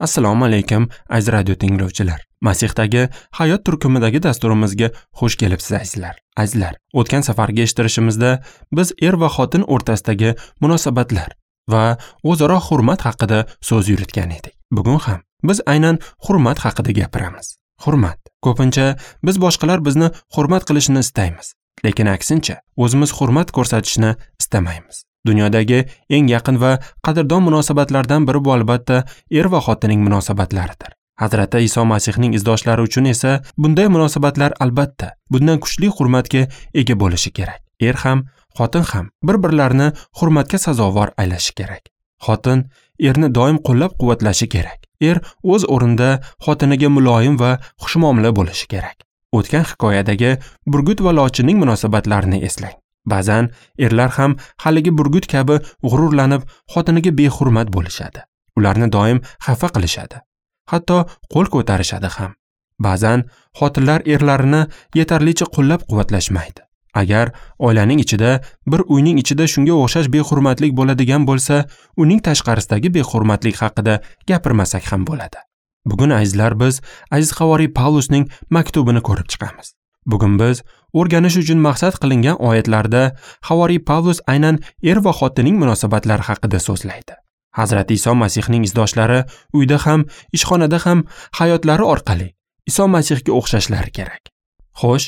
Assalomu alaykum, aziz radio tinglovchilar. Masihdagi hayot turkumidagi dasturimizga xush kelibsiz, azizlar. Azizlar, o'tgan safargi eshittirishimizda biz er va xotin o'rtasidagi munosabatlar va o'zaro hurmat haqida so'z yuritgan edik. Bugun ham biz aynan hurmat haqida gapiramiz. Hurmat. Ko'pincha biz boshqalar bizni hurmat qilishini istaymiz, lekin aksincha o'zimiz hurmat ko'rsatishni istamaymiz. Dunyodagi eng yaqin va qadrdon munosabatlardan biri bu albatta er va xotinning munosabatlaridir. Hazrati Iso Masihning izdoshlari uchun esa bunday munosabatlar albatta bundan kuchli hurmatga ega bo'lishi kerak. Er ham, xotin ham bir-birlarini hurmatga sazovor aylashi kerak. Xotin erni doim qo'llab-quvvatlashi kerak. Er o'z o'rnida xotiniga muloyim va xushmuomala bo'lishi kerak. O'tgan hikoyadagi burgut va lochinning munosabatlarini eslang. Ba'zan erlar ham haligi burgut kabi g'ururlanib, xotiniga behurmat bo'lishadi. Ularni doim xafa qilishadi. Hatto qo'l ko'tarishadi ham. Ba'zan xotinlar erlarini yetarlicha qo'llab-quvvatlashmaydi. Agar oilaning ichida, bir uyning ichida shunga o'xshash behurmatlik bo'ladigan bo'lsa, uning tashqarisidagi behurmatlik haqida gapirmasak ham bo'ladi. Bugun azizlar, biz aziz havoriy Pavlusning maktubini ko'rib chiqamiz. Bugun biz o'rganish uchun maqsad qilingan oyatlarda havoriy Pavlus aynan er va xotinning munosabatlari haqida so'zlaydi. Hazrati Iso Masihning izdoshlari uyda ham, ishxonada ham hayotlari orqali Iso Masihga o'xshashlari kerak. Xo'sh,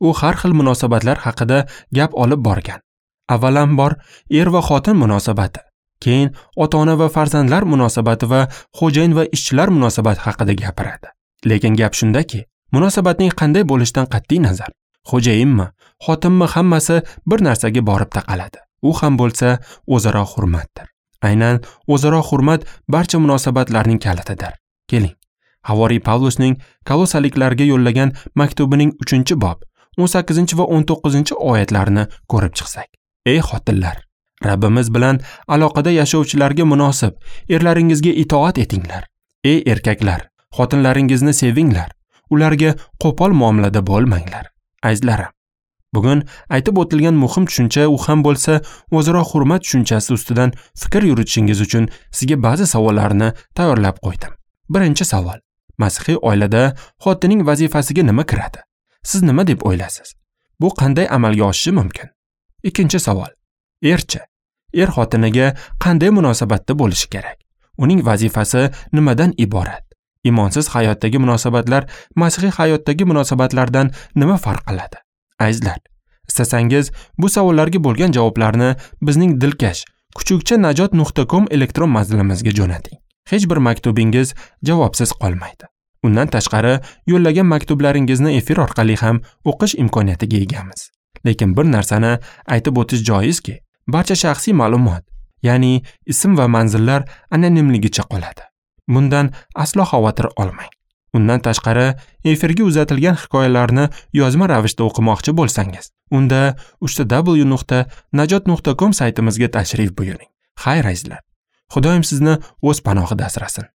u har xil munosabatlar haqida gap olib borgan. Avvalambor er va xotin munosabati, keyin ota-ona va farzandlar munosabati va xo'jayin va ishchilar munosabati haqida gapiradi. Lekin gap shundaki, munosabatning qanday bo'lishidan qat'iy nazar, xo'jayinmi, xotinmi hammasi bir narsaga borib taqaladi. U ham bo'lsa o'zaro hurmatdir. Aynan o'zaro hurmat barcha munosabatlarning kalitidir. Keling, havoriy Pavlusning Kolosaliklarga yo'llagan maktubining 3-bob 18 va 19 oyatlarini ko'rib chiqsak. Ey xotinlar, Rabbimiz bilan aloqada yashovchilarga munosib erlaringizga itoat etinglar. Ey erkaklar, xotinlaringizni sevinglar. Ularga qo'pol muomalada bo'lmanglar. Azizlarim, bugun aytib o'tilgan muhim tushuncha, u ham bo'lsa o'zaro hurmat tushunchasi ustidan fikr yuritishingiz uchun sizga ba'zi savollarni tayyorlab qo'ydim. Birinchi savol: masihiy oilada xotinning vazifasiga nima kiradi? Siz nima deb o'ylaysiz? Bu qanday amalga oshishi mumkin? Ikkinchi savol: erchi, er xotiniga qanday munosabatda bo'lishi kerak? Uning vazifasi nimadan iborat? Imonsiz hayotdagi munosabatlar masihiy hayotdagi munosabatlardan nima farq qiladi? Azizlar, istasangiz bu savollarga bo'lgan javoblarni bizning dilkash kuchukcha-najot.com elektron manzilimizga jo'nating. Hech bir maktubingiz javobsiz qolmaydi. Undan tashqari, yo'llagan maktublaringizni efir orqali ham o'qish imkoniyatiga egamiz. Lekin bir narsani aytib o'tish joizki, barcha shaxsiy ma'lumot, ya'ni ism va manzillar anonimligicha qoladi. Bundan aslo xavotir olmang. Undan tashqari, efirga uzatilgan hikoyalarni yozma ravishda o'qimoqchi bo'lsangiz, unda www.najot.com saytimizga tashrif buyuring. Xayr azizlar, Xudoyim sizni o'z panohida asrasin.